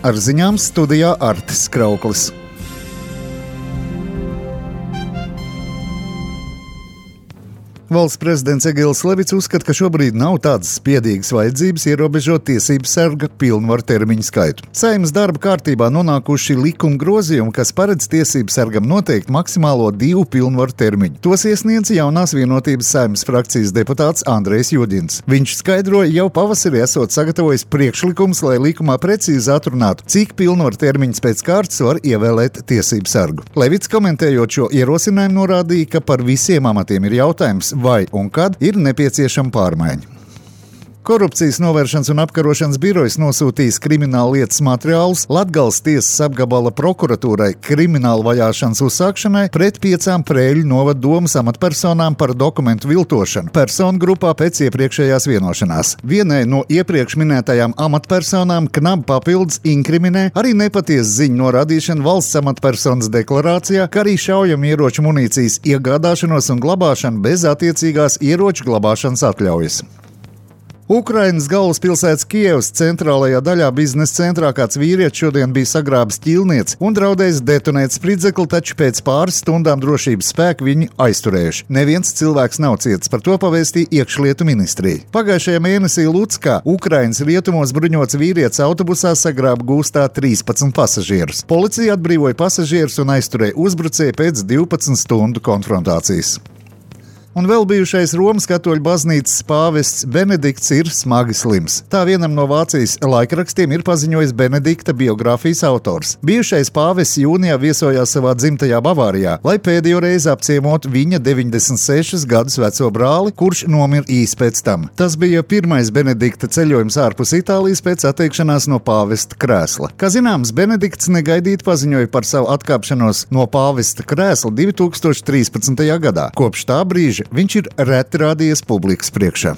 Ar ziņām studijā Artis Krauklis. Valsts prezidents Egils Levits uzskata, ka šobrīd nav tādas spiedīgas vajadzības ierobežot tiesību sarga pilnvaru termiņu skaitu. Saeimas darba kārtībā nonākuši likuma grozījumi, kas paredz tiesību sargam noteikt maksimālo 2 pilnvaru termiņu. Tos iesniedz jaunās vienotības Saeimas frakcijas deputāts Andrejs Juģins. Viņš skaidroja, jau pavasarī esot sagatavojis priekšlikums, lai likumā precīzi atrunātu, cik pilnvaru termiņus pēc kārtas var ievēlēt tiesību sargu. Levits komentējot šo ierosinājumu norādīja, ka par visiem amatiem ir jautājums, vai un kad ir nepieciešama pārmaiņa. Korupcijas novēršanas un apkarošanas birojas nosūtījis krimināla lietas materiālus Latgales tiesas apgabala prokuratūrai krimināla vajāšanas uzsākšanai pret 5 Prēļu novada domas amatpersonām par dokumentu viltošanu personu grupā pēc iepriekšējās vienošanās. Vienai no iepriekš minētajām amatpersonām knabi papildus inkriminē arī nepatiesu ziņu norādīšanu valsts amatpersonas deklarācijā, kā arī šaujamieroču munīcijas iegādāšanos un glabāšanu bez attiecīgās ieroču glabāšanas atļaujas. Ukrainas galvaspilsētas Kievas centrālajā daļā biznesa centrā kāds vīrietis šodien bija sagrābis ķīlnieci un draudējis detonēt spridzekli, taču pēc pāris stundām drošības spēki viņu aizturējuši. Neviens cilvēks nav cietis, par to pavēstīja iekšlietu ministrija. Pagājušajā mēnesī Lucskā, Ukrainas rietumos bruņots vīrietis autobusā sagrāba gūstā 13 pasažierus. Policija atbrīvoja pasažierus un aizturēja uzbrucēju pēc 12 stundu konfrontācijas. Un vēl bijušais Romas katoļu baznīcas pāvests Benedikts ir smagi slims. Tā vienam no Vācijas laikrakstiem ir paziņojis Benedikta biogrāfijas autors. Bijušais pāvests jūnijā viesojās savā dzimtajā Bavārijā, lai pēdējo reizi apciemotu viņa 96 gadus veco brāli, kurš nomira īsi pēc tam. Tas bija pirmais Benedikta ceļojums ārpus Itālijas pēc atteikšanās no pāvesta krēsla. Kā zināms, Benedikts negaidīti paziņoja par savu atkāpšanos no pāvesta krēsla 2013. gadā. Kopš tā brīža viņš ir reti rādījies publikas priekšā.